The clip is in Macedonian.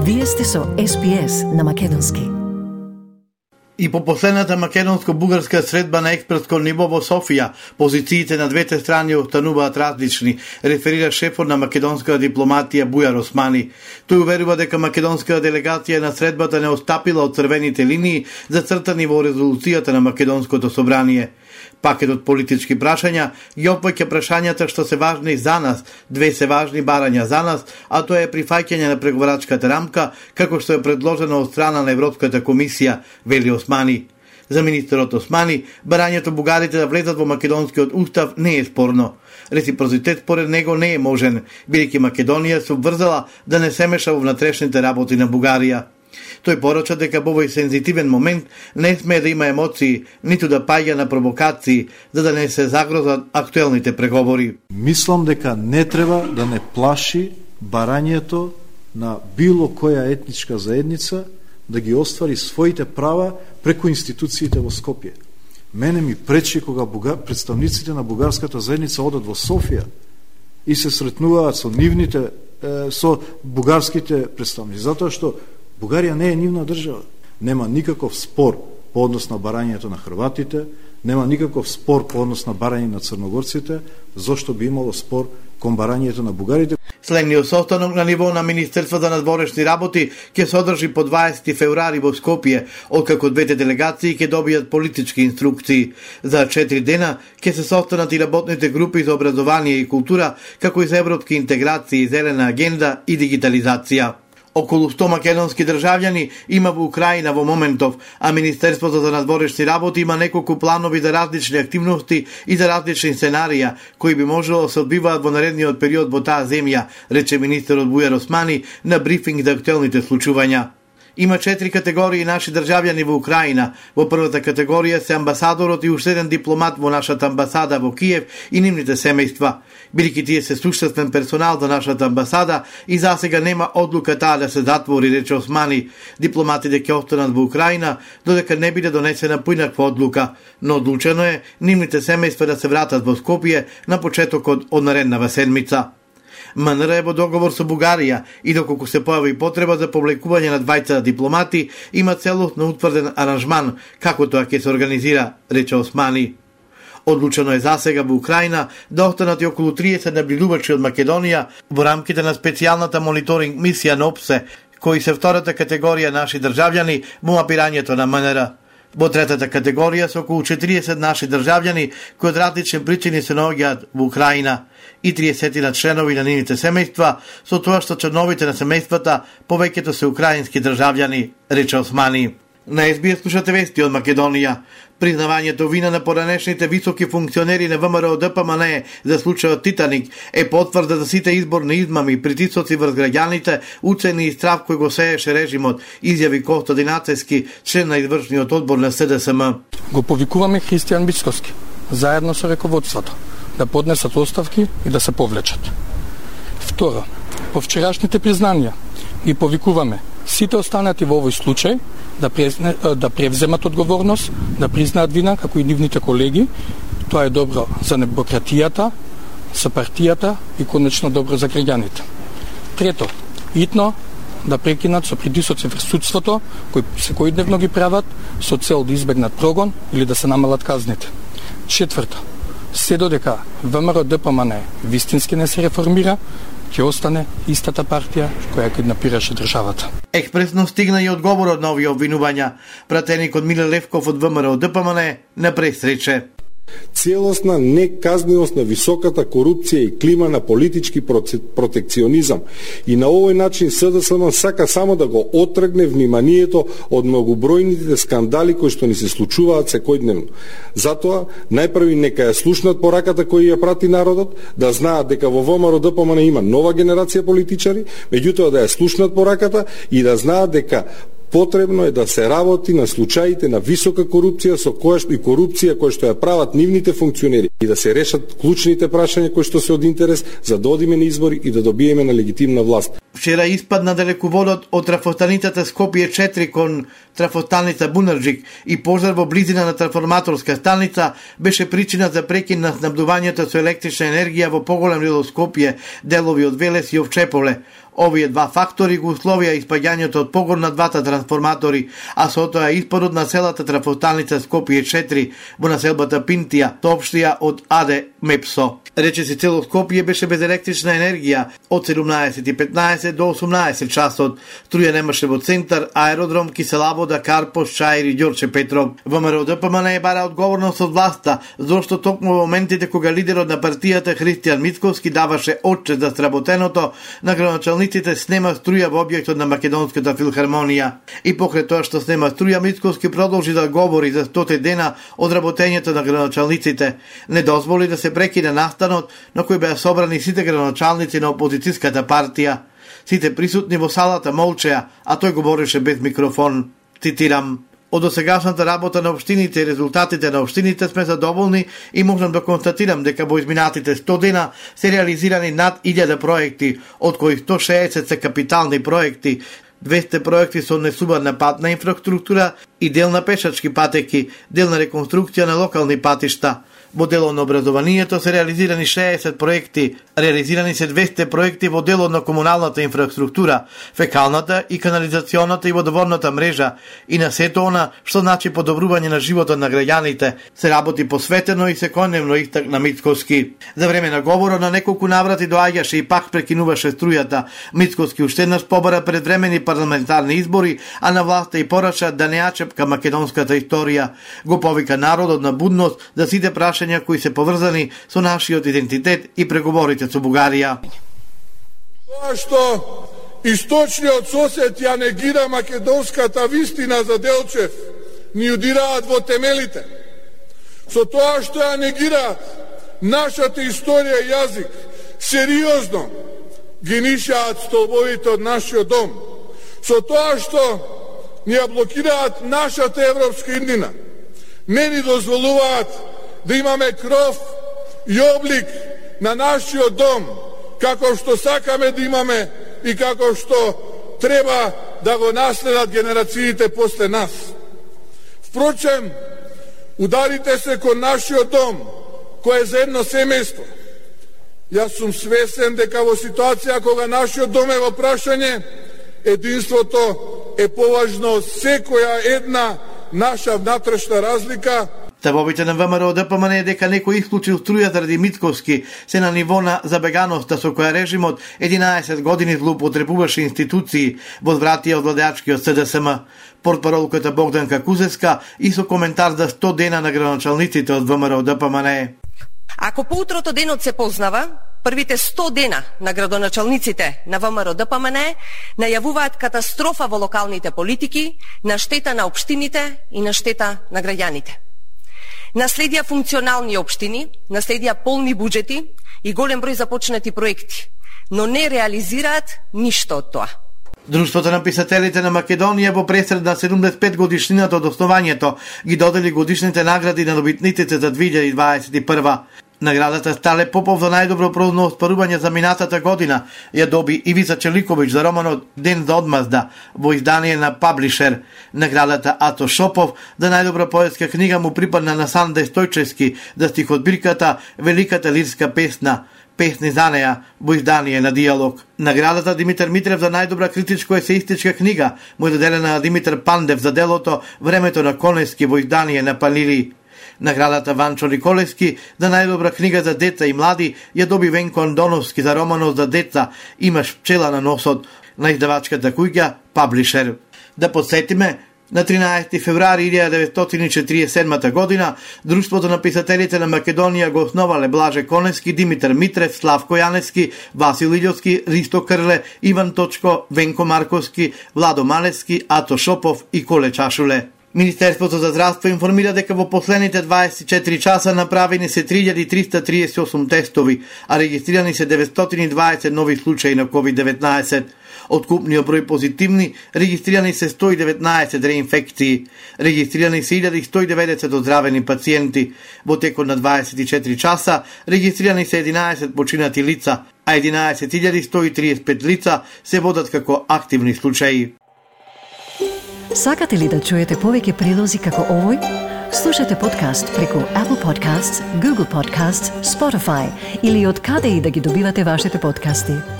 Вие сте со SPS на македонски. И по последната македонско-бугарска средба на експертско ниво во Софија, позициите на двете страни остануваат различни, реферира шефот на македонската дипломатија Бујар Османи. Тој уверува дека македонската делегација на средбата не отстапила од црвените линии зацртани во резолуцијата на македонското собрание. Пакетот политички прашања ги опфаќа прашањата што се важни за нас, две се важни барања за нас, а тоа е прифаќање на преговарачката рамка, како што е предложено од страна на Европската комисија, вели Османи. За министерот Османи, барањето бугарите да влезат во македонскиот устав не е спорно. Реципроцитет според него не е можен, бидејќи Македонија се обврзала да не се меша во внатрешните работи на Бугарија. Тој порача дека во овој сензитивен момент не смее да има емоции, ниту да паѓа на провокации, за да не се загрозат актуелните преговори. Мислам дека не треба да не плаши барањето на било која етничка заедница да ги оствари своите права преку институциите во Скопје. Мене ми пречи кога представниците на бугарската заедница одат во Софија и се сретнуваат со бугарските представници, затоа што Бугарија не е нивна држава. Нема никаков спор по однос на барањето на хрватите, нема никаков спор по однос на барање на црногорците, зошто би имало спор кон барањето на бугарите. Следниот состанок на ниво на Министерството за надворешни работи ќе се одржи по 20 февруари во Скопје, откако двете делегации ќе добијат политички инструкции. За 4 дена ќе се состанат и работните групи за образование и култура, како и за европски интеграции, зелена агенда и дигитализација. Околу 100 македонски државјани има во Украина во моментов, а Министерството за надворешни работи има неколку планови за различни активности и за различни сценарија, кои би можело да се одбиваат во наредниот период во таа земја, рече министерот Бујар Османи на брифинг за актуелните случувања. Има 4 категории наши државјани во Украина. Во првата категорија се амбасадорот и уште еден дипломат во нашата амбасада во Киев и нивните семејства. Бидејќи тие се суштествен персонал за нашата амбасада и засега нема одлука таа да се затвори, рече Османи. Дипломатите ќе останат во Украина додека не биде донесена поинаква одлука, но одлучено е нивните семејства да се вратат во Скопје на почетокот од нареднава седмица. МНР е во договор со Бугарија и доколку се појави потреба за повлекување на двајца дипломати, има целосно утврден аранжман како тоа ќе се организира, рече Османи. Одлучено е засега во Украина да останат и околу 30 набљудувачи од Македонија во рамките на специјалната мониторинг мисија на ОПСЕ, кои се втората категорија наши државјани во мапирањето на МНР. Во третата категорија се околу 40 наши државјани кои од различни причини се наоѓаат во Украина и 30 на членови на нивните семејства, со тоа што членовите на семејствата повеќето се украински државјани, рече Османи. На SBS слушате вести од Македонија. Признавањето вина на поранешните високи функционери на ВМРО ДПМН за случајот Титаник е потврда за сите изборни измами, притисоци врз граѓаните, уцени и страв кој го сееше режимот, изјави Костадин Ацевски, член на извршниот одбор на СДСМ. Го повикуваме Христијан Мицкоски, заедно со раководството, да поднесат оставки и да се повлечат. Второ, по вчерашните признања ги повикуваме сите останати во овој случај да превземат одговорност, да признаат вина, како и нивните колеги. Тоа е добро за демократијата, за партијата и конечно добро за граѓаните. Трето, итно да прекинат со притисоци врз судството, кои секојдневно ги прават со цел да избегнат прогон или да се намалат казните. Четврто, се додека ВМРО ДПМН вистински не се реформира, ќе остане истата партија која киднапираше државата. Експресно стигна и одговорот на овие обвинувања. Пратеникот Миле Левков од ВМРО ДПМН на пресрече. Целосна неказненост на високата корупција и клима на политички протекционизам. И на овој начин СДСМ сака само да го отргне вниманието од многобројните скандали кои што ни се случуваат секојдневно. Затоа, најпрви нека ја слушнат пораката која ја прати народот, да знаат дека во ВМРО ДПМН има нова генерација политичари, меѓутоа да ја слушнат пораката и да знаат дека потребно е да се работи на случаите на висока корупција со која што ја прават нивните функционери и да се решат клучните прашања кои што се од интерес за да одиме на избори и да добиеме на легитимна власт. Вчера испадна далеководот од трафостаницата Скопје 4 кон трафостаница Бунарџик и пожар во близина на трансформаторска станица беше причина за прекин на снабдувањето со електрична енергија во поголем дел од Скопје, делови од Велес и Овчеполе. Овие два фактори го условија испаѓањето од погон на двата трансформатори, а со тоа испадот на селата трафостаница Скопје 4 во населбата Пинтија, соопштија од АД МЕПСО. Речиси цело Скопје беше без електрична енергија од 17:15 до 18 часот. Струја немаше во центар, аеродром, Киселавода, Карпош, Чаир и Ѓорче Петров. ВМРО ДПМН е бара одговорност од власта, зашто токму во моментите кога лидерот на партијата Христијан Мицкоски даваше отчет за сработеното, на градоначалниците снема струја во објектот на Македонската филхармонија. И покрај тоа што снема струја, Мицкоски продолжи да говори за 100 дена од работењето на градоначалниците. Не дозволи да се прекине настанот на кој беа собрани сите градоначалници на опозицијската партија. Сите присутни во салата молчеа, а тој говореше без микрофон. Цитирам: "Од досегашната работа на општините и резултатите на општините сме задоволни и можам да констатирам дека во изминатите 100 дена се реализирани над 1000 проекти, од кои 160 се капитални проекти, 200 проекти со несубарна патна инфраструктура и дел на пешачки патеки, дел на реконструкција на локални патишта. Во делот на образованието се реализирани 60 проекти, реализирани се 200 проекти во делот на комуналната инфраструктура, фекалната и канализационата и водоводната мрежа и на сето она што значи подобрување на животот на граѓаните. Се работи посветено и секојдневно, истакна Мицкоски. За време на говорот на неколку наврати доаѓаше и пак прекинуваше струјата. Мицкоски уште еднаш побара предвремени парламентарни избори, а на власта и пораша да не ја чепка македонската историја. Го повика народот на будност за сите прашања кои се поврзани со нашиот идентитет и преговорите со Бугарија. Тоа што источниот сосед ја негира македонската вистина за Делчев, ни удираат во темелите. Со тоа што ја негираат нашата историја и јазик, сериозно ги нишаат столбовите од нашиот дом. Со тоа што ни ја блокираат нашата европска иднина, не ни дозволуваат да имаме кров и облик на нашиот дом, како што сакаме да имаме и како што треба да го наследат генерациите после нас. Впрочем, ударите се кон нашиот дом, кој е за едно семејство. Јас сум свесен дека во ситуација кога нашиот дом е во прашање, единството е поважно од секоја една наша внатрешна разлика. Ставовите на ВМРО ДПМН е дека некој исклучил струја заради Мицкоски се на ниво на забеганоста со која режимот 11 години злоупотребуваше институции, возвратија од владеачкиот СДСМ. Портпаролката Богданка Кузевска и со коментар за 100 дена на градоначалниците од ВМРО ДПМН. Ако поутрото денот се познава, првите 100 дена на градоначалниците на ВМРО ДПМН најавуваат катастрофа во локалните политики, на штета на општините и на штета на граѓаните. Наследија функционални општини, наследија полни буџети и голем број започнати проекти, но не реализираат ништо од тоа. Друштвото на писателите на Македонија во пресред на 75 годишнината од основањето ги додели годишните награди на добитниците за 2021. Наградата Стале Попов за најдобро прозно оспарување за минатата година ја доби Ивица Челиковиќ за романот Ден за одмазда во издание на Паблишер. Наградата Ато Шопов за најдобра поетска книга му припадна на Санде Стојчевски за стихотбирката Великата лирска песна Песни за неја во издание на Диалог. Наградата Димитар Митрев за најдобра критичко-есеистичка книга му е доделена на Димитар Пандев за делото Времето на Конески во издание на Панили. Наградата Ванчо Николевски за најдобра книга за деца и млади ја доби Венко Андоновски за романот за деца Имаш пчела на носот на издавачката куќа Паблишер. Да подсетиме, на 13 февруари 1947 година Друштвото на писателите на Македонија го основале Блаже Коневски, Димитар Митрев, Славко Јаневски, Васил Илјовски, Ристо Крле, Иван Точко, Венко Марковски, Владо Малевски, Ато Шопов и Коле Чашуле. Министерството за здравство информира дека во последните 24 часа направени се 3338 тестови, а регистрирани се 920 нови случаи на COVID-19. Од купниот број позитивни, регистрирани се 119 реинфекции, регистрирани се 1190 оздравени пациенти. Во текот на 24 часа регистрирани се 11 починати лица, а 11.135 лица се водат како активни случаи. Сакате ли да чуете повеќе прилози како овој? Слушате подкаст преку Apple Podcasts, Google Podcasts, Spotify или од каде и да ги добивате вашите подкасти.